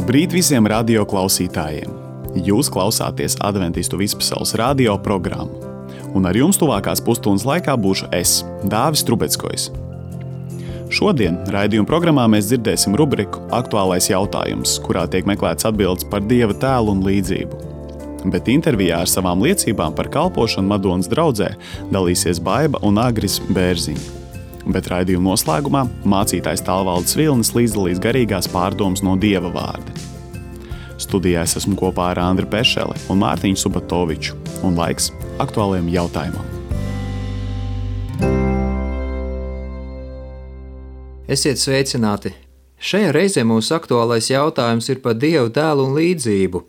Labrīt visiem radio klausītājiem! Jūs klausāties Adventistu vispasaules radio programmu, un ar jums tuvākās pusstundas laikā būšu es, Dāvis Trubeckojs. Šodien raidījuma programmā mēs dzirdēsim rubriku Aktuālais jautājums, kurā tiek meklēts atbildes par Dieva tēlu un līdzību. Bet intervijā ar savām liecībām par kalpošanu Madonas draudzē dalīsies Baiba un Agris Bērziņi. Bet raidījuma noslēgumā mācītājs Tālvaldes Vilnis līdzdalīs garīgās pārdomas no Dieva vārda. Studijā es esmu kopā ar Andri Pešeli un Mārtiņu Subatoviču, un laiks aktuālajam jautājumam. Esiet sveicināti! Šajā reizē mūsu aktuālais jautājums ir par Dieva tēlu un līdzību,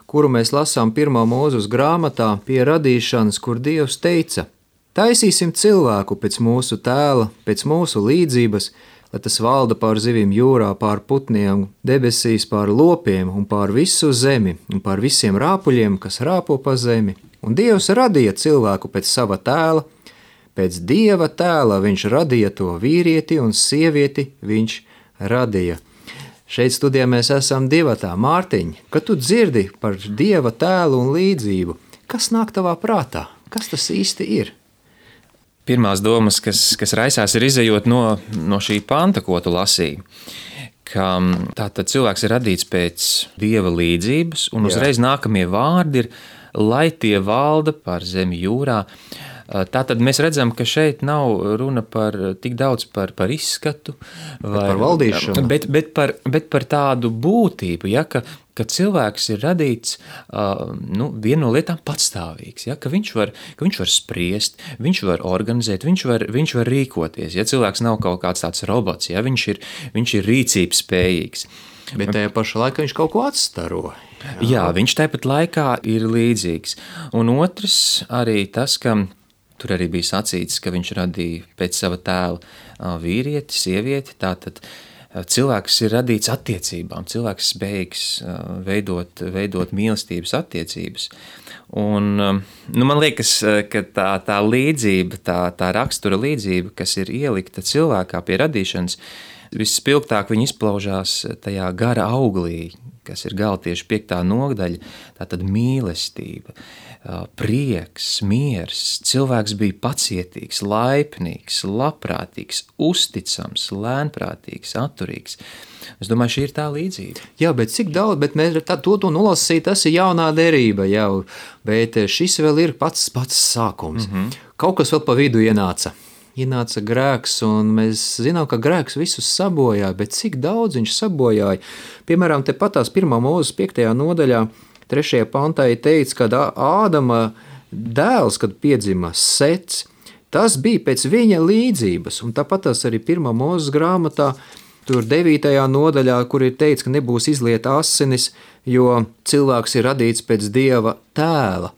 kuru mēs lasām 1. Mūzes grāmatā pie radīšanas, kur Dievs teica: Taisīsim cilvēku pēc mūsu tēla, pēc mūsu līdzības, lai tas valda pār zivīm jūrā, pār putniem, debesīs, pār lopiem un pār visu zemi un pār visiem rāpuļiem, kas rāpo pa zemi. Un Dievs radīja cilvēku pēc sava tēla, pēc Dieva tēla viņš radīja to vīrieti un sievieti viņš radīja. Šeit studijā mēs esam divatā. Mārtiņ, kad tu dzirdi par Dieva tēlu un līdzību, kas nāk tavā prātā? Kas tas īsti ir? Pirmās domas, kas raisās, ir izejot no šī panta, ko tu lasīji, ka tātad cilvēks ir radīts pēc Dieva līdzības, un uzreiz nākamie vārdi ir, lai tie valda pār zemi jūrā. Tātad mēs redzam, ka šeit nav runa par tik daudz par izskatu, vai par valdīšanu, bet par tādu būtību, ja, ka cilvēks ir radīts viena no lietām patstāvīgs, ja, ka viņš var spriest, viņš var organizēt, viņš var rīkoties. Ja cilvēks nav kaut kāds tāds robots, ja, viņš ir rīcības spējīgs. Bet tajā pašā laikā viņš kaut ko atstaro. Jā, viņš tāpat laikā ir līdzīgs. Un otrs arī tas, ka tur arī bija sacīts, ka viņš radīja pēc sava tēla vīrieti, sievieti, tātad cilvēks ir radīts attiecībām, cilvēks spējīgs veidot mīlestības attiecības. Un, man liekas, ka tā līdzība, tā rakstura līdzība, kas ir ielikta cilvēkā pie radīšanas, visspilgtāk viņa izplaužās tajā gara auglī, kas ir Galatiešu 5. nodaļa, tātad mīlestība, prieks, miers. Cilvēks bija pacietīgs, laipnīgs, labprātīgs, uzticams, lēnprātīgs, atturīgs. Es domāju, šī ir tā līdzība. Jā, bet cik daudz, bet mēs to nolasīt, tas ir jaunā derība jau, bet šis vēl ir pats sākums. Kaut kas vēl pa vidu ienāca grēks, un mēs zinām, ka grēks visus sabojāja, bet cik daudz viņš sabojāja. Piemēram, te patās 1. Mūzes 5. nodaļā, 3. pantā ir teikts, kad Ādama dēls, kad piedzima Sets, tas bija pēc viņa līdzības, un tāpatās arī 1. Mūzes grāmatā, tur 9. nodaļā, kur ir teikts, ka nebūs izlieta asinis, jo cilvēks ir radīts pēc Dieva tēla.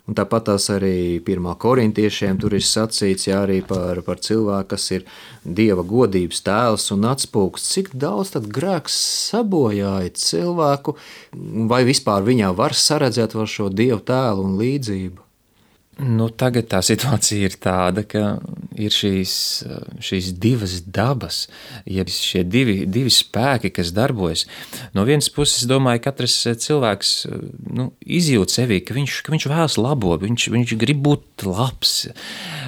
Un tāpatās arī 1. korintiešiem tur ir sacīts, jā, arī par cilvēku, kas ir Dieva godības tēls un atspūgs. Cik daudz tad grēks sabojāja cilvēku, vai vispār viņā var saredzēt vēl šo Dieva tēlu un līdzību? Tagad tā situācija ir tāda, ka ir šīs divas dabas, ja šie divi spēki, kas darbojas. No vienas puses, domāju, katrs cilvēks izjūt sevī, ka viņš vēlas labo, viņš grib būt labs,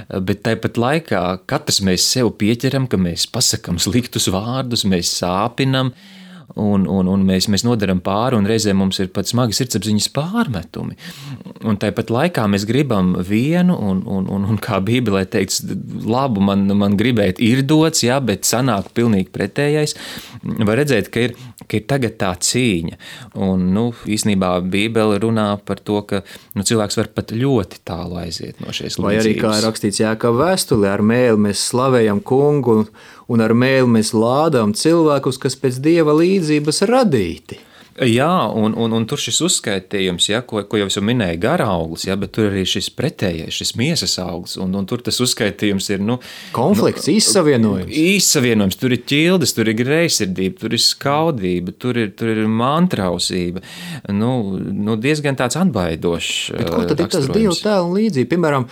bet tāpat laikā katrs mēs sev pieķeram, ka mēs pasakam sliktus vārdus, mēs sāpinam, un mēs nodaram pāri, un reizē mums ir pat smagi sirdsapziņas pārmetumi. Un tāpat laikā mēs gribam vienu, un kā Bībelē teikts, labu man gribēt ir dots, jā, bet sanāk pilnīgi pretējais. Var redzēt, ka ir tagad tā cīņa. Un, īsnībā Bībele runā par to, ka cilvēks var pat ļoti tālu aiziet no šīs līdzības. Vai arī, kā ir rakstīts Jākaba vēstulē, ar mēli mēs slavējam kungu, un ar mēli mēs lādām cilvēkus, kas pēc Dieva līdzības radīti. Jā, un tur šis uzskaitījums, ja, ko jau es minēju, gara auglis, ja, bet tur arī šis pretējais, šis miesas auglis, un tur tas uzskaitījums ir, konflikts, īssavienojums, tur ir ķildes, tur ir greizsirdība, tur ir skaudība, tur ir mantrausība, diezgan tāds atbaidošs raksturojums. Bet ko tad ir tas Dieva tēla un līdzība? Piemēram,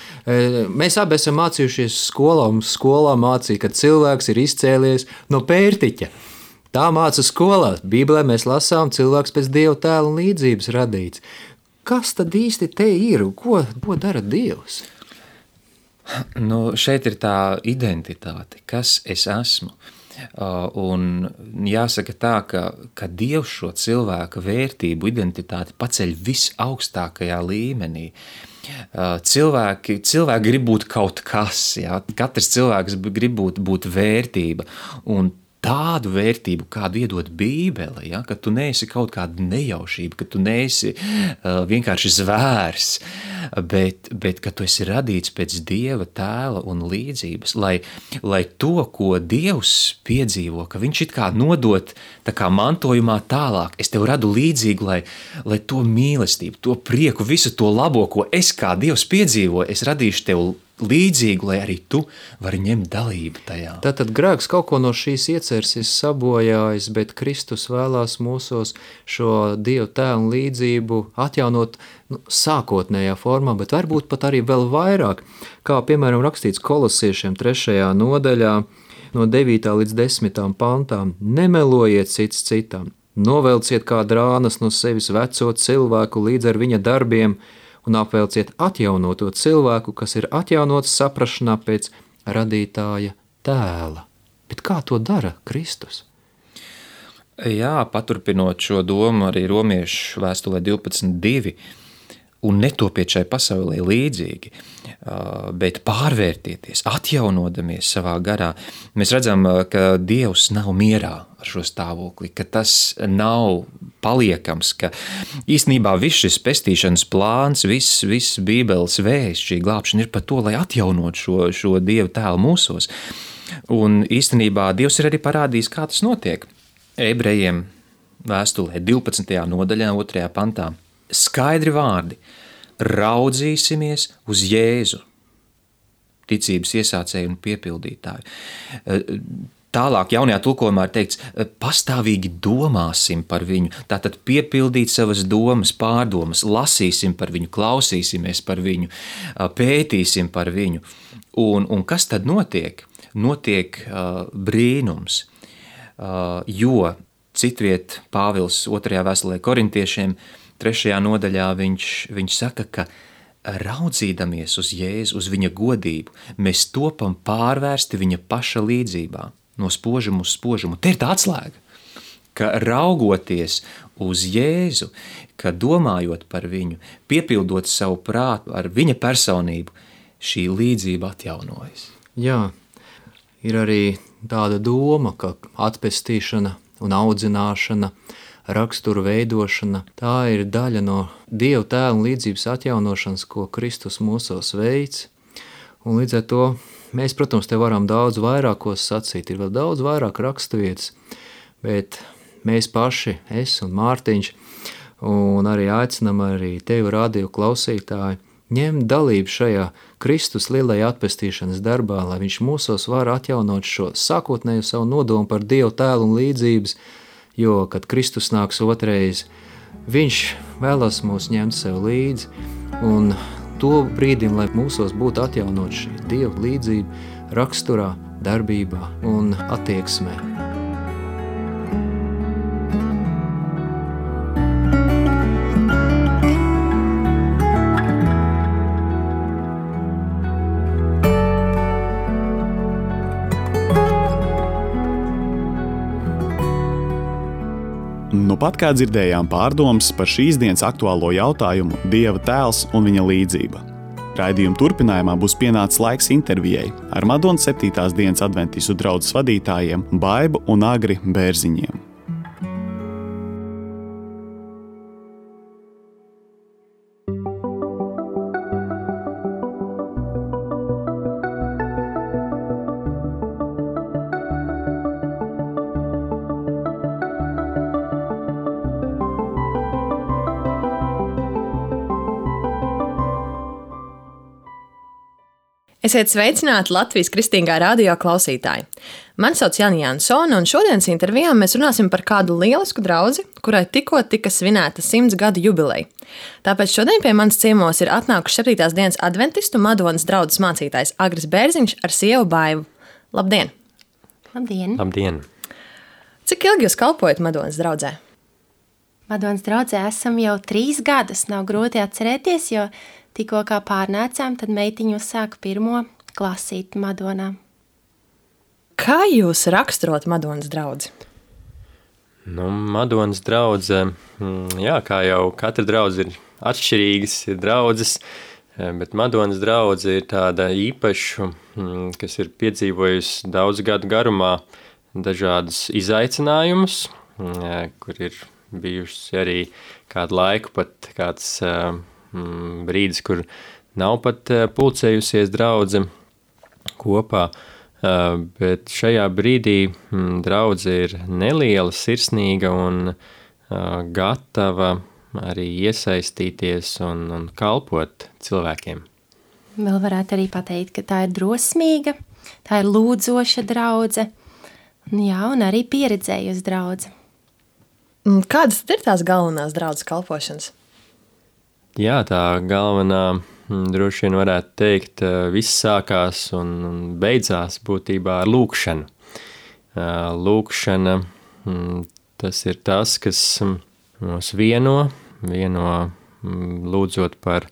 mēs abi esam mācījušies skolā, un skolā mācīja, ka cilvēks ir izcēlies no pērtiķa. Tā māca skolā. Bībelē mēs lasām, cilvēks pēc Dieva tēla un līdzības radīts. Kas tad īsti te ir? Ko dara Dievs? Šeit ir tā identitāte, kas es esmu. Un jāsaka tā, ka Dievs šo cilvēka vērtību, identitāti paceļ visaugstākajā līmenī. Cilvēki grib būt kaut kas, ja? Katrs cilvēks grib būt vērtība, un tādu vērtību, kādu iedod Bībele, ja? Ka tu neesi kaut kāda nejaušība, ka tu neesi vienkārši zvērs, bet ka tu esi radīts pēc Dieva tēla un līdzības, lai to, ko Dievs piedzīvo, ka viņš it kā nodot tā kā mantojumā tālāk, es tev radu līdzīgu, lai to mīlestību, to prieku, visu to labo, ko es kā Dievs piedzīvoju, es radīšu tev līdzīgu, lai arī tu vari ņemt dalību tajā. Tātad grēks kaut ko no šīs ieceres ir sabojājis, bet Kristus vēlās mūsos šo Dieva tēlu līdzību atjaunot sākotnējā formā, bet varbūt pat arī vēl vairāk, kā piemēram rakstīts Kolosiešiem 3. nodaļā no 9. līdz 10. pantām. Nemelojiet cits citam, novelciet kā drānas no sevis veco cilvēku līdz ar viņa darbiem, un apvelciet atjaunoto cilvēku, kas ir atjaunots saprašanā pēc radītāja tēla. Bet kā to dara Kristus? Jā, paturpinot šo domu arī Romiešu vēstulē 12.2, un netopiet šai pasaulē līdzīgi, bet pārvērtieties, atjaunodamies savā garā. Mēs redzam, ka Dievs nav mierā ar šo stāvokli, ka tas nav paliekams, ka īstenībā viss šis pestīšanas plāns, viss Bībeles vēsts, šī glābšana ir par to, lai atjaunot šo Dieva tēlu mūsos. Un īstenībā Dievs ir arī parādījis, kā tas notiek. Ebrejiem vēstulē 12. nodaļā 2. pantā. Skaidri vārdi, raudzīsimies uz Jēzu, ticības iesācēju un piepildītāju. Tālāk jaunajā tulkojumā ir teikts, pastāvīgi domāsim par viņu, tātad piepildīt savas domas, pārdomas, lasīsim par viņu, klausīsimies par viņu, pētīsim par viņu. Un kas tad notiek? Notiek brīnums, jo citviet Pāvils 2. vēstulē korintiešiem 3. nodaļā viņš saka, ka raudzīdamies uz Jēzu, uz viņa godību, mēs topam pārvērsti viņa paša līdzībā, no spožuma uz spožumu. Te ir tā atslēga, ka raugoties uz Jēzu, ka domājot par viņu, piepildot savu prātu ar viņa personību, šī līdzība atjaunojas. Jā, ir arī tāda doma, ka atpestīšana un audzināšana, raksturu veidošana, tā ir daļa no Dieva tēla un līdzības atjaunošanas, ko Kristus mūsos veids. Un līdz ar to mēs, protams, te varam daudz vairākos sacīt, ir vēl daudz vairāk raksturvietas, bet mēs paši, es un Mārtiņš, un arī aicinam arī tevi radio klausītāji, ņemt dalību šajā Kristus lielajā atpestīšanas darbā, lai viņš mūsos var atjaunot šo sākotnēju savu nodomu par Dieva tēlu un līdzības, jo, kad Kristus nāks otrais, viņš vēlas mūs ņemt sev līdzi, un to brīdim, lai mūsos būtu atjaunot šī Dieva līdzība raksturā, darbībā un attieksmē. Pat kā dzirdējām pārdomas par šīs dienas aktuālo jautājumu Dieva tēls un viņa līdzība. Raidījuma turpinājumā būs pienācis laiks intervijai ar Madonas 7. dienas adventistu draudzes vadītājiem Baibu un Agri Bērziņiem. Esiet sveicināti Latvijas Kristīgā radio klausītāji. Mani sauc Jānis Jansone, un šodienas intervijā mēs runāsim par kādu lielisku draudzi, kurai tikko tika svinēta 100 gadu jubileja. Tāpēc šodien pie manis ciemos ir atnākuši 7. dienas adventistu Madonas draudzes mācītājs Agris Bērziņš ar sievu Baivu. Labdien! Labdien! Labdien! Cik ilgi jūs kalpojat Madonas draudzē? Madonas draudzē esam jau 3 gadus. Nav grūti atcerēties, jo tikko kā pārnācām, tad meitiņu uzsāka 1. klasīti Madonā. Kā jūs raksturot Madonas draudzi? Madonas draudze, kā jau katra draudze ir atšķirīgas, ir draudzes, bet Madonas draudze ir tāda īpaša, kas ir piedzīvojusi daudz gadu garumā dažādus izaicinājumus, kur ir bijuši arī kādu laiku, pat kāds brīdis, kur nav pat pulcējusies draudze kopā, bet šajā brīdī draudze ir neliela, sirsnīga un gatava arī iesaistīties un kalpot cilvēkiem. Vēl varētu arī pateikt, ka tā ir drosmīga, tā ir lūdzoša draudze, un arī pieredzējusi draudze. Kādas tad ir tās galvenās draudzes kalpošanas? Jā, tā galvenā droši vien varētu teikt, viss sākās un beidzās būtībā ar lūkšanu. Lūkšana, tas ir tas, kas mūs vieno lūdzot par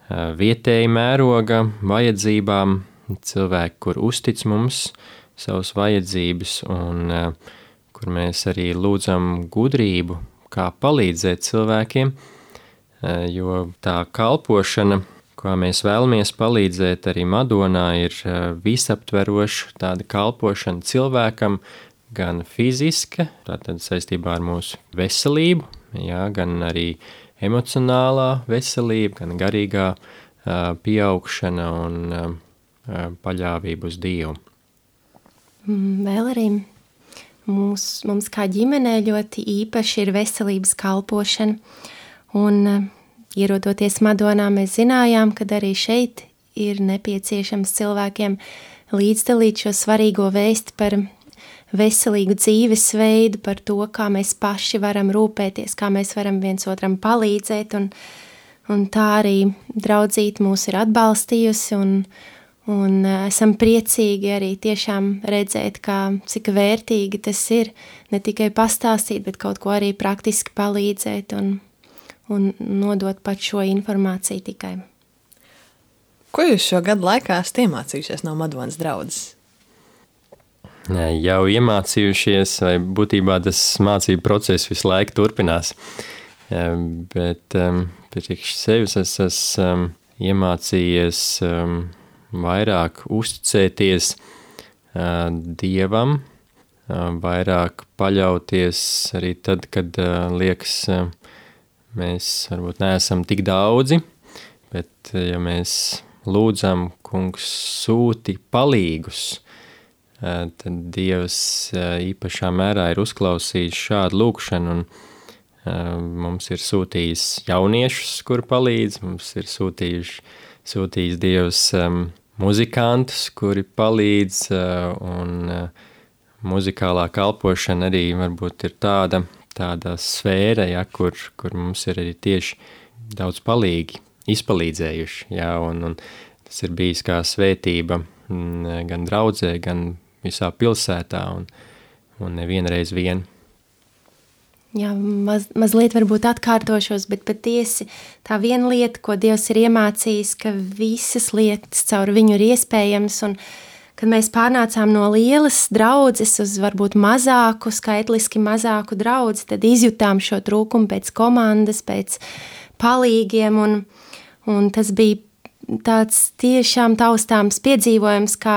vietēju mēroga vajadzībām, cilvēki, kur uztic mums savas vajadzības un kur mēs arī lūdzam gudrību, kā palīdzēt cilvēkiem, jo tā kalpošana, kā mēs vēlamies palīdzēt arī Madonā, ir visaptveroša tāda kalpošana cilvēkam, gan fiziska, tātad saistībā ar mūsu veselību, gan arī emocionālā veselība, gan garīgā pieaugšana un paļāvība uz Dievu. Vēl arī mums kā ģimenē ļoti īpaši ir veselības kalpošana, un ierodoties Madonā, mēs zinājām, ka arī šeit ir nepieciešams cilvēkiem līdzdalīt šo svarīgo vēsti par veselīgu dzīvesveidu, par to, kā mēs paši varam rūpēties, kā mēs varam viens otram palīdzēt, un tā arī draudzīte mūs ir atbalstījusi, un esam priecīgi arī tiešām redzēt, cik vērtīgi tas ir, ne tikai pastāstīt, bet kaut ko arī praktiski palīdzēt un nodot pat šo informāciju tikai. Ko jūs šo gadu laikā esat iemācījušies no Madonas draudzes? Jau iemācījušies, vai būtībā tas mācību process visu laiku turpinās. Bet priekš sevis es esmu iemācījies vairāk uzticēties Dievam, vairāk paļauties arī tad, kad liekas, mēs varbūt neesam tik daudzi, bet ja mēs lūdzam, Kungs sūti palīgus, tad Dievs īpašā mērā ir uzklausījis šādu lūkšanu, un mums ir sūtījis jauniešus, kur palīdz, mums ir sūtījis Dievs muzikantus, kuri palīdz, un muzikālā kalpošana arī varbūt ir tāda sfēra, kur mums ir arī tieši daudz izpalīdzējuši, un tas ir bijis kā svētība gan draudzē, gan visā pilsētā, un nevienreiz vien. Jā, mazliet varbūt atkārtošos, bet patiesi tā viena lieta, ko Dievs ir iemācījis, ka visas lietas caur viņu ir iespējams, un kad mēs pārnācām no lielas draudzes uz varbūt mazāku, skaitliski mazāku draudzi, tad izjutām šo trūkumu pēc komandas, pēc palīgiem, un tas bija tāds tiešām taustāms piedzīvojums, kā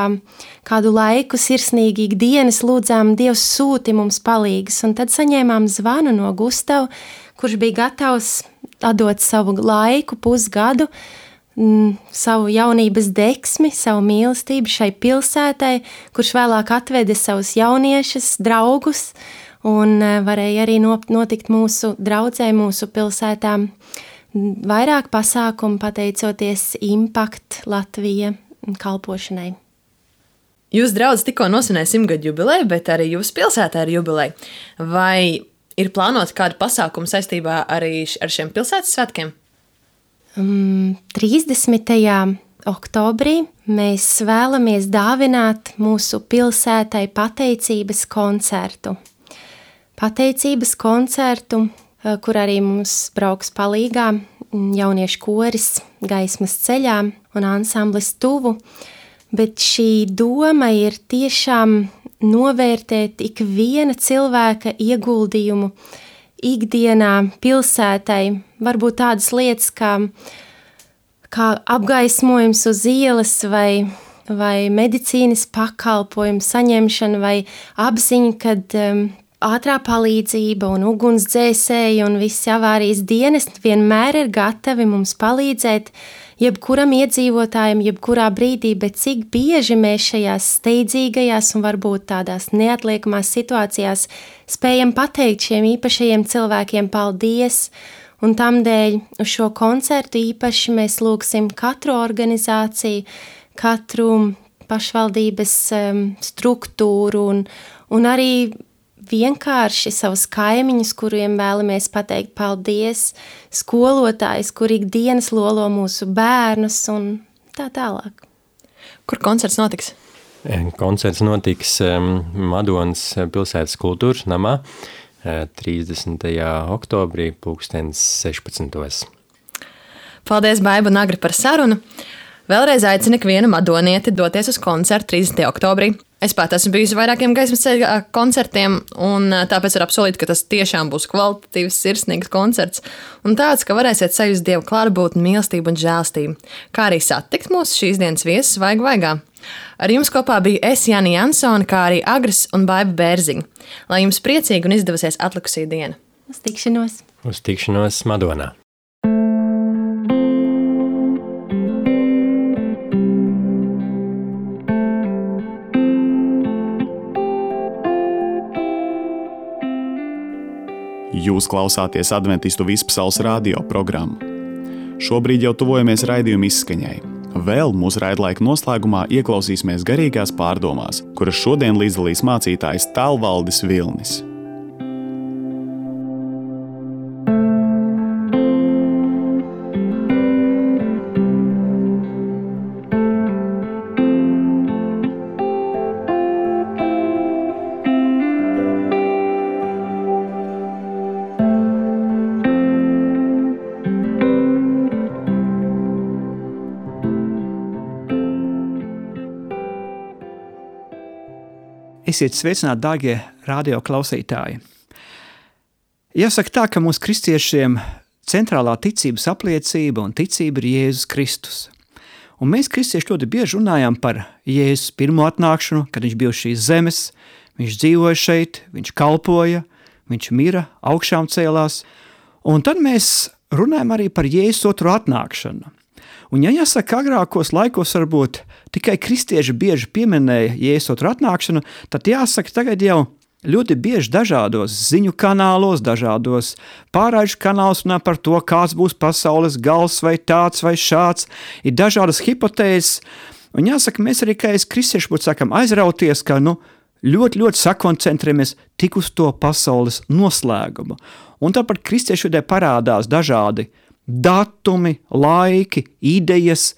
kādu laiku sirsnīgi ikdienas lūdzām, Dievs sūti mums palīgas, un tad saņēmām zvanu no Gustava, kurš bija gatavs atdot savu laiku, pusgadu, savu jaunības deksmi, savu mīlestību šai pilsētai, kurš vēlāk atveda savus jauniešus, draugus, un varēja arī notikt mūsu draudzē, mūsu pilsētām vairāk pasākumu pateicoties Impact Latvija kalpošanai. Jūs draudz tikko nosvinēja 100-gadu jubileju, bet arī jūsu pilsētā ir jubileja. Vai ir plānota kāda pasākuma saistībā arī ar šiem pilsētas svētkiem? 30. oktobrī mēs vēlamies dāvināt mūsu pilsētai pateicības koncertu. pateicības koncertu, kur arī mums brauks palīgā jauniešu koris Gaismas ceļā un ansamblis Tuvu. Bet šī doma ir tiešām novērtēt ikviena cilvēka ieguldījumu ikdienā pilsētai. Varbūt tādas lietas kā apgaismojums uz ielas vai medicīnas pakalpojumu saņemšana vai apziņa, kad ātrā palīdzība un ugunsdzēsēji un visi avārijas dienesti vienmēr ir gatavi mums palīdzēt jebkuram iedzīvotājam, jebkurā brīdī, bet cik bieži mēs šajās steidzīgajās un varbūt tādās neatliekamās situācijās spējam pateikt šiem īpašajiem cilvēkiem paldies, un tamdēļ uz šo koncertu īpaši mēs lūgsim katru organizāciju, katru pašvaldības struktūru un arī vienkārši savus kaimiņus, kuriem vēlamies pateikt paldies, skolotājus, kur ikdienas lolo mūsu bērnus un tā tālāk. Kur koncerts notiks? Koncerts notiks Madonas pilsētas kultūras namā 30. oktobrī 16. Paldies, Baiba un Agri, par sarunu. Vēlreiz aicinu ikvienu madonieti doties uz koncertu 30. oktobrī. Es pat esmu bijusi vairākiem Gaismas ceļa koncertiem, un tāpēc var apsolīt, ka tas tiešām būs kvalitatīvs, sirsnīgs koncerts, un tāds, ka varēsiet sajust Dievu klātbūtni, mīlestību un žēlstību, kā arī satikt mūsu šīs dienas viesus vaigā. Ar jums kopā biju es, Jāni Jansone, kā arī Agris un Baiba Bērziņa. Lai jums priecīgi un izdevusies atlikusī diena. Uz tikšanos! Uz tikšanos Madonā! Jūs klausāties Adventistu Vispasaules radio programmu. Šobrīd jau tuvojamies raidījuma izskaņai. Vēl mūsu raidlaika noslēgumā ieklausīsimies garīgās pārdomās, kuras šodien līdzdalīs mācītājs Tālvaldis Vilnis. Esiet sveicināti, dārgie radio klausītāji. Jāsaka tā, ka mūsu kristiešiem centrālā ticības apliecība un ticība ir Jēzus Kristus. Un mēs kristieši ļoti bieži runājam par Jēzus pirmo atnākšanu, kad viņš bija uz šīs zemes, viņš dzīvoja šeit, viņš kalpoja, viņš mira, augšām cēlās. Un tad mēs runājam arī par Jēzus otro atnākšanu. Un ja jāsaka, agrākos laikos varbūt tikai kristieši bieži pieminēja Jēzus otru atnākšanu, tad jāsaka, tagad jau ļoti bieži dažādos ziņu kanālos, dažādos pārraižu kanālos runā par to, kāds būs pasaules gals vai tāds vai šāds, ir dažādas hipotēzes. Un jāsaka, mēs arī, kā es kristieši būtu sakam, aizrauties, ka ļoti sakoncentrējamies tik uz to pasaules noslēgumu. Un tāpat kristieši vidē parādās dažādi datumi, laiki, idejas,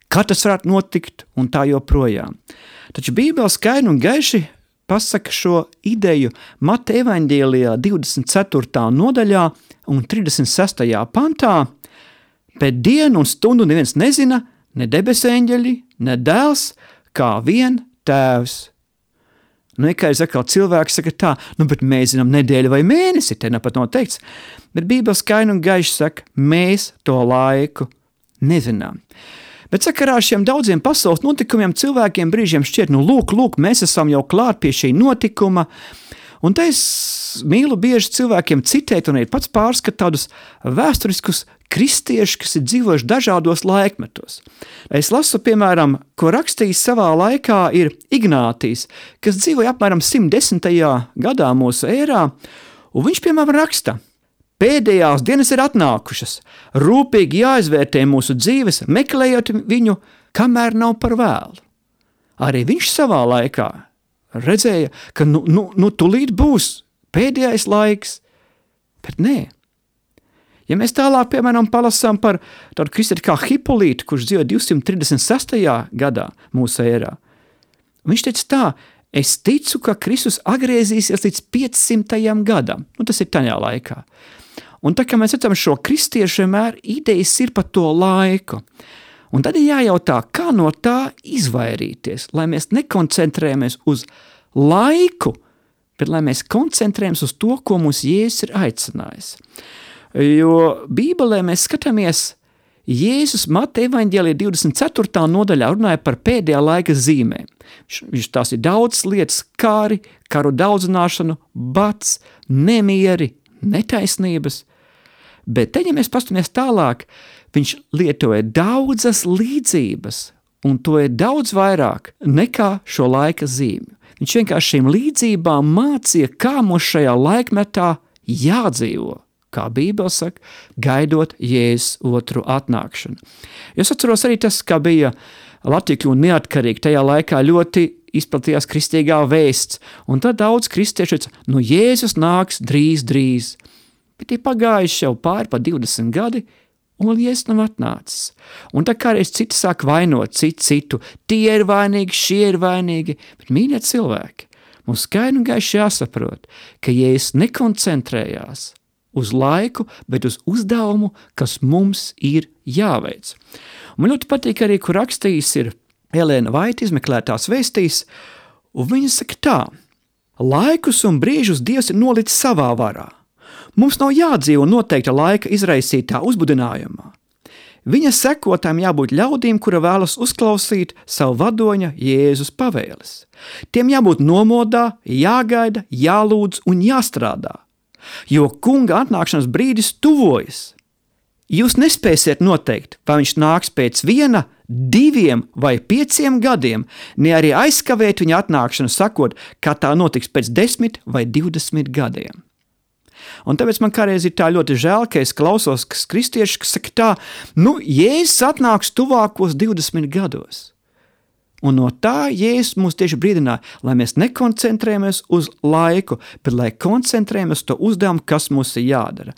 kad tas varētu notikt un tā joprojām. Taču Bībele skaidri un gaiši pasaka šo ideju Mateja evaņģēlijā 24. nodaļā un 36. pantā, bet dienu un stundu neviens nezina, ne debes eņģeļi, ne dēls, kā vien tēvs. Kā es atkal cilvēks saka tā, bet mēs zinām nedēļu vai mēnesi, te nepat noteikts, bet Bībele skaidri un gaiši saka, mēs to laiku nezinām. Bet sakarā ar šiem daudziem pasaules notikumiem cilvēkiem brīžiem šķiet, lūk, mēs esam jau klāt pie šī notikuma, un te es mīlu bieži cilvēkiem citēt un ir pats pārskat tādus vēsturiskus kristieši, kas ir dzīvojuši dažādos laikmetos. Es lasu, piemēram, ko rakstījis savā laikā ir Ignātijs, kas dzīvoja apmēram 110. gadā mūsu ērā, un viņš, piemēram, raksta: pēdējās dienas ir atnākušas, rūpīgi jāizvērtē mūsu dzīves, meklējot viņu, kamēr nav par vēlu. Arī viņš savā laikā redzēja, ka tulīt būs pēdējais laiks, bet nē. Ja mēs tālāk, piemēram, palasām par tādu kristieti kā Hipolītu, kurš dzīvoja 236. gadā mūsu ērā, viņš teica tā: Es ticu, ka Kristus atgriezīsies līdz 500. gadam. Tas ir tajā laikā. Un tā kā mēs redzam šo kristiešu, vienmēr idejas ir par to laiku. Un tad ir jājautā, kā no tā izvairīties, lai mēs nekoncentrējamies uz laiku, bet lai mēs koncentrējamies uz to, ko mums Jēzus ir aicinājis. Jo Bībelē mēs skatāmies, Jēzus Mateja evaņģēlijā 24. nodaļā runāja par pēdējā laika zīmēm. Viņš tās ir daudz lietas, kāri, karu daudzināšanu, bats, nemieri, netaisnības. Bet te, ja mēs pastamies tālāk, viņš lietoja daudzas līdzības, un to ir daudz vairāk nekā šo laika zīmju. Viņš vienkārši šīm līdzībām mācīja, kā mums šajā laikmetā jādzīvo. Kā Bībele saka, gaidot Jēzus otru atnākšanu. Es atceros arī tas, kā bija Latvija kļūst neatkarīga, tajā laikā ļoti izplatījās kristīgā vēsts, un tad daudz kristieši teica, Jēzus nāks drīz. Bet ir pagājuši jau pāri pa 20 gadi, un Jēzus nav atnācis. Un tā kā reiz citi sāk vainot citu, tie ir vainīgi, šie ir vainīgi, bet mīļie cilvēki, mums skaidri un gaiši jāsaprot, ka Jēzus nekoncentrējās uz laiku, bet uz uzdevumu, kas mums ir jāveic. Man ļoti patīk arī, kur rakstījis ir Elēna Vaita izmeklētās vēstīs, un viņa saka tā, laikus un brīžus Dievs ir nolicis savā varā. Mums nav jādzīvo noteikta laika izraisītā uzbudinājumā. Viņa sekotājiem jābūt ļaudīm, kura vēlas uzklausīt savu vadoņa Jēzus pavēles. Tiem jābūt nomodā, jāgaida, jālūdz un jāstrādā. Jo kunga atnākšanas brīdis tuvojas. Jūs nespēsiet noteikt, vai viņš nāks pēc 1, 2 vai 5 gadiem, ne arī aizkavēt viņa atnākšanu, sakot, ka tā notiks pēc 10 vai 20 gadiem. Un tāpēc man kādreiz ir tā ļoti žēl, ka es klausos kristieši, kas saka tā, Jēzus atnāks tuvākos 20 gados. Un no tā Jēzus mūs tieši brīdināja, lai mēs nekoncentrējamies uz laiku, bet lai koncentrējamies uz to uzdevumu, kas mums ir jādara.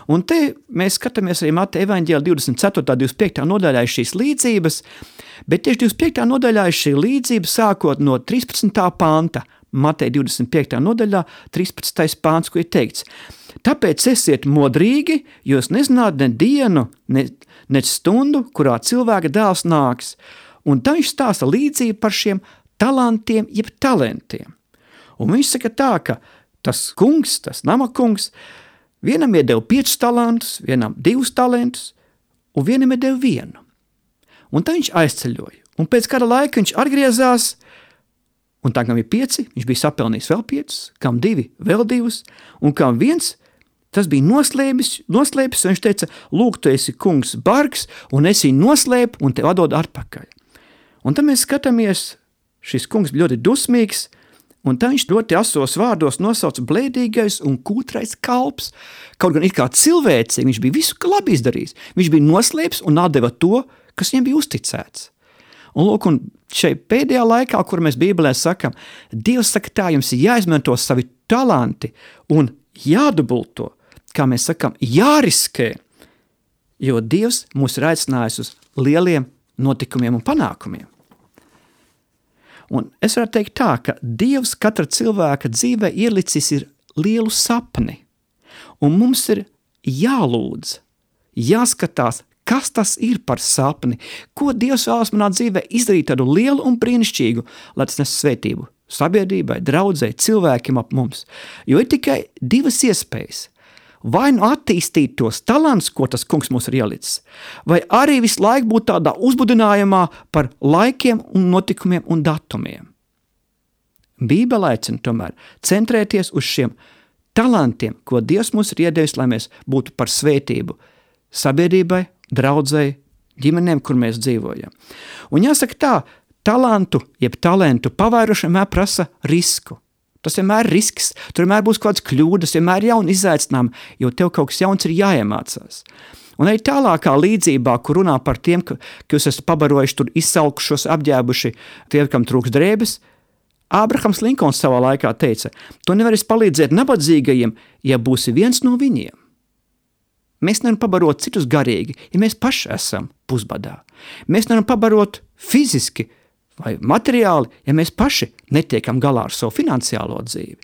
Un te mēs skatāmies arī Mateja evaņģēlijā 24. 25. nodaļā šīs līdzības, bet tieši 25. nodaļā šī līdzība sākot no 13. panta, Mateja 25. nodaļā 13. pants, ko ir teikts. Tāpēc esiet modrīgi, jo jūs nezināt ne dienu, ne stundu, kurā cilvēka dēls nāks. Un tā viņš stāsta līdzību par šiem talantiem, jeb talentiem. Un viņš saka tā, ka tas kungs, tas namakungs, vienam iedeva 5 talantus, vienam 2 talantus, un vienam iedeva 1. Un tā viņš aizceļoja. Un pēc kāda laika viņš atgriezās, un tā, kam ir 5, viņš bija sapelnījis vēl 5, kam 2, vēl 2, un kam 1, tas bija noslēpis, un viņš teica, lūk, tu esi kungs bargs, un es viņu noslēpu, un tev atdod atpakaļ. Un tad mēs skatāmies, šis kungs ļoti dusmīgs, un tā viņš ļoti asos vārdos nosauc blēdīgais un kūtrais kalps. Kaut gan it kā cilvēcīgi, viņš bija visu labi izdarījis. Viņš bija noslēpis un atdeva to, kas viņam bija uzticēts. Un lūk, un šeit pēdējā laikā, kur mēs Bībelē sakam, Dievs saka tā, jums ir jāizmanto savi talanti un jādubulto, kā mēs sakam, jāriskē, jo Dievs mūs ir aicinājis uz lieliem notikumiem un panākumiem. Un es varu teikt tā, ka Dievs katra cilvēka dzīvē ielicis ir lielu sapni, un mums ir jālūdz, jāskatās, kas tas ir par sapni, ko Dievs vēlas manā dzīvē izdarīt tādu lielu un brīnišķīgu, lai tas nes svētību sabiedrībai, draudzei, cilvēkiem ap mums. Jo ir tikai 2 iespējas. Vai nu attīstīt tos talants, ko tas kungs mums ir ielicis, vai arī visu laiku būt tādā uzbudinājumā par laikiem un notikumiem un datumiem. Bībele aicina tomēr centrēties uz šiem talantiem, ko Dievs mums ir iedevis, lai mēs būtu par svētību sabiedrībai, draudzei, ģimenēm, kur mēs dzīvojam. Un jāsaka tā, talantu, jeb talentu pavairošana prasa risku. Tas vienmēr ir risks, tur vienmēr būs kaut kādas kļūdas, vienmēr ir jauni izaicinājumi, jo tev kaut kas jauns ir jāiemācās. Un arī tālākā līdzībā, kur runā par tiem, ka jūs esat pabarojuši, tur izsalkušos, apģēbuši, tie, kam trūks drēbes, Ābrahams Linkons savā laikā teica, tu nevarēsi palīdzēt nabadzīgajiem, ja būsi viens no viņiem. Mēs nevaram pabarot citus garīgi, ja mēs paši esam pusbadā. Mēs nevaram pabarot fiziski vai materiāli, ja mēs paši netiekam galā ar savu finansiālo dzīvi.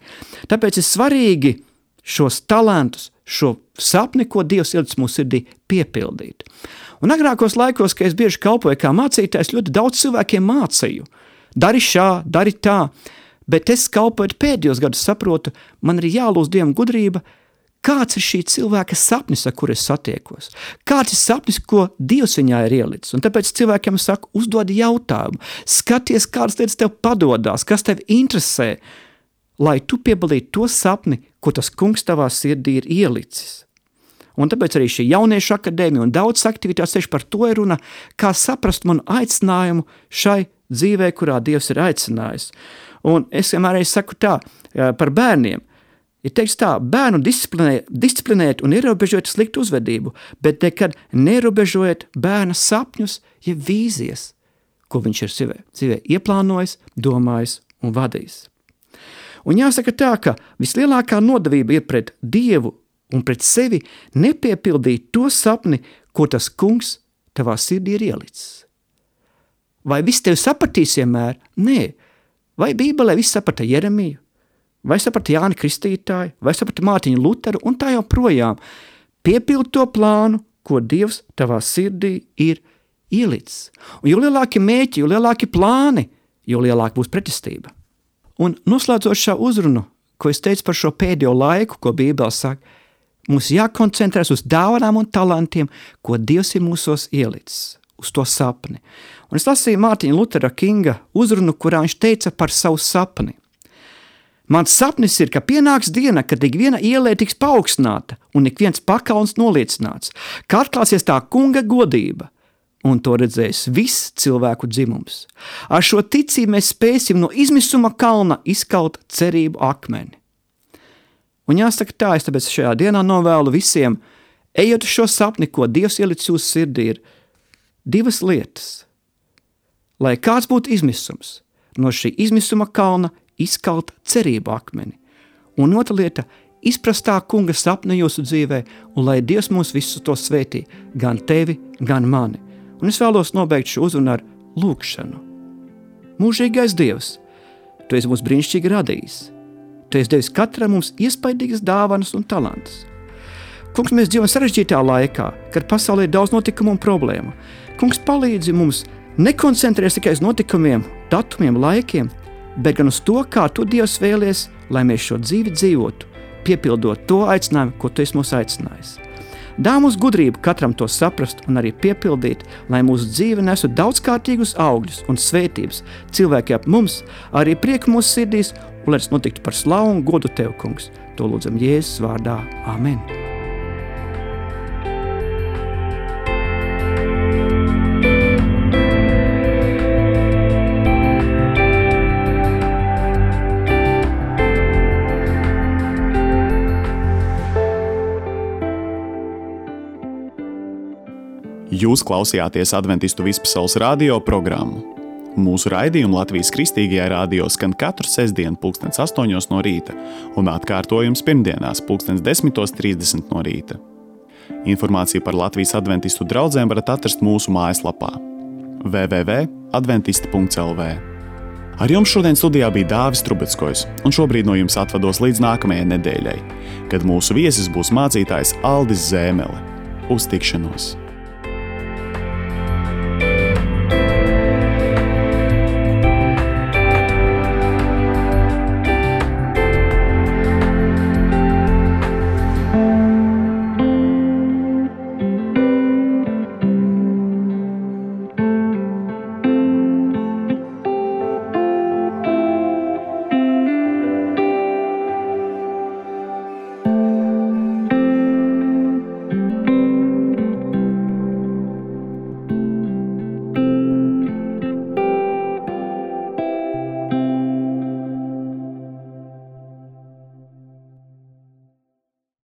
Tāpēc ir svarīgi šos talantus, šo sapni, ko Dievs ielicis mūsu sirdī, piepildīt. Un agrākos laikos, kad es bieži kalpoju kā mācītājs, ļoti daudz cilvēkiem mācīju. Dari šā, dari tā, bet es kalpojot pēdējos gadus saprotu, man ir jālūdz Dievam gudrība, kāds ir šī cilvēka sapnis, ar kur es satiekos? Kāds ir sapnis, ko Dievs viņā ir ielicis? Un tāpēc cilvēkiem saku, uzdod jautājumu, skaties, kādas lietas tev padodās, kas tev interesē, lai tu piebildītu to sapni, ko tas kungs tavā sirdī ir ielicis. Un tāpēc arī šī jauniešu akadēmija un daudz aktivitātes tieši par to ir runa, kā saprast manu aicinājumu šai dzīvē, kurā Dievs ir aicinājis. Un es vienmēr saku tā, par bērniem. Ir teikts tā, bērnu disciplinēt un ierobežot sliktu uzvedību, bet nekad neierobežojot bērna sapņus, ja vīzijas, ko viņš ir dzīvē ieplānojis, domājis un vadījis. Un jāsaka tā, ka vislielākā nodevība ir pret Dievu un pret sevi nepiepildīt to sapni, ko tas kungs tavā sirdī ir ielicis. Vai viss tev sapratīs vienmēr? Nē. Vai Bībelē viss saprata Jeremiju? Vai saprata Jāni Kristītāju, vai saprata Mārtiņu Luteru, un tā jau projām. Piepild to plānu, ko Dievs tavā sirdī ir ielicis. Un jo lielāki mērķi, jo lielāki plāni, jo lielāka būs pretestība. Un noslēdzot šo uzrunu, ko es teicu par šo pēdējo laiku, ko Bībele saka, mums jākoncentrēs uz dāvanām un talantiem, ko Dievs ir mūsos ielicis, uz to sapni. Un es lasīju Mārtiņa Lutera Kinga uzrunu, kurā viņš teica par savu sapni. Mans sapnis ir, ka pienāks diena, kad ik viena ielē tiks paaugstināta un ik viens pakalns noliecināts, ka atklāsies tā kunga godība, un to redzēs viss cilvēku dzimums. Ar šo ticību mēs spēsim no izmisuma kalna izkalt cerību akmeni. Un jāsaka tā, es tāpēc šajā dienā novēlu visiem, ejot uz šo sapni, ko Dievs ielicis jūsu sirdī, ir divas lietas. Lai kāds būtu izmisums, no šī izmisuma kalna izkalt cerību akmeni. Un otra lieta, izprast tā kunga sapni jūsu dzīvē, un lai Dievs mūs visus to svētī, gan tevi, gan mani. Un es vēlos nobeigt šo uzrunu ar lūkšanu. Mūžīgais Dievs, tu esi mūs brīnišķīgi radījis. Tu esi devis katram mums iespaidīgas dāvanas un talantus. Kungs, mēs dzīvojam sarežģītā laikā, kad pasaulē ir daudz notikumu un problēmu. Kungs, palīdzi mums nekoncentrēties tikai uz notikumiem, datumiem, laikiem, bet gan uz to, kā tu Dievs vēlies, lai mēs šo dzīvi dzīvotu, piepildot to aicinājumu, ko tu esi mūs aicinājis. Dā mums gudrību katram to saprast un arī piepildīt, lai mūsu dzīve nesu daudzkārtīgus augļus un svētības cilvēki ap mums, arī prieku mūsu sirdīs, un lai tas notiktu par slavu un godu tev, kungs. To lūdzam Jēzus vārdā. Amen. Jūs klausījāties Adventistu Vispasaules radio programmu. Mūsu raidījumu Latvijas Kristīgajā radio skan katru sestdienu 8:00 no rīta un atkārtojums pirmdienās 10:30 no rīta. Informāciju par Latvijas adventistu draudzēm varat atrast mūsu mājaslapā www.adventisti.lv. Ar jums šodien studijā bija Dāvis Trubeckojs, un šobrīd no jums atvados līdz nākamajai nedēļai, kad mūsu viesis būs mācītājs Aldis Zēmele. Uz tikšanos!